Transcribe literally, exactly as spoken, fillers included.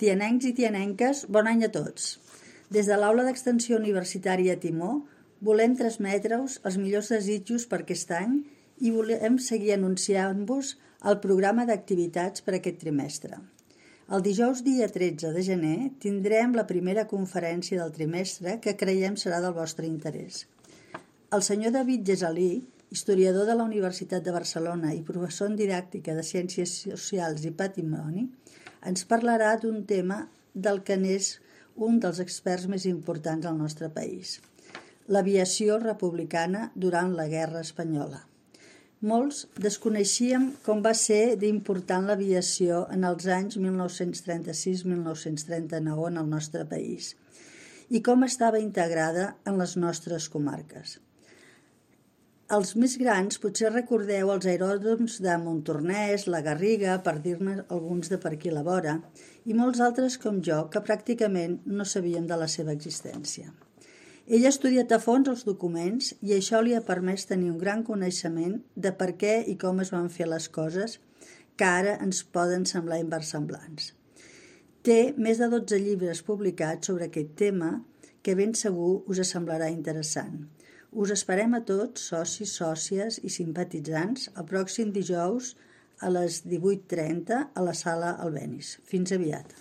Tianencs i tianenques, bon any a tots. Des de l'Aula d'Extensió Universitària Timó volem transmetre-us els millors desitjos per aquest any i volem seguir anunciant-vos el programa d'activitats per aquest trimestre. El dijous dia tretze de gener tindrem la primera conferència del trimestre que creiem serà del vostre interès. El senyor David Gesalí, historiador de la Universitat de Barcelona i professor en didàctica de Ciències Socials i Patrimoni, ens parlarà d'un tema del que n'és un dels experts més importants al nostre país, l'aviació republicana durant la Guerra Espanyola. Molts desconeixíem com va ser d'important l'aviació en els anys mil nou-cents trenta-sis a mil nou-cents trenta-nou en el nostre país i com estava integrada en les nostres comarques. Els més grans potser recordeu els aeròdroms de Montornès, la Garriga, per dir-ne alguns de per aquí a la vora, i molts altres com jo que pràcticament no sabíem de la seva existència. Ell ha estudiat a fons els documents i això li ha permès tenir un gran coneixement de per què i com es van fer les coses que ara ens poden semblar inversemblants. Té més de dotze llibres publicats sobre aquest tema que ben segur us semblarà interessant. Us esperem a tots, socis, sòcies i simpatitzants, el pròxim dijous a les divuit trenta a la sala Albéniz. Fins aviat.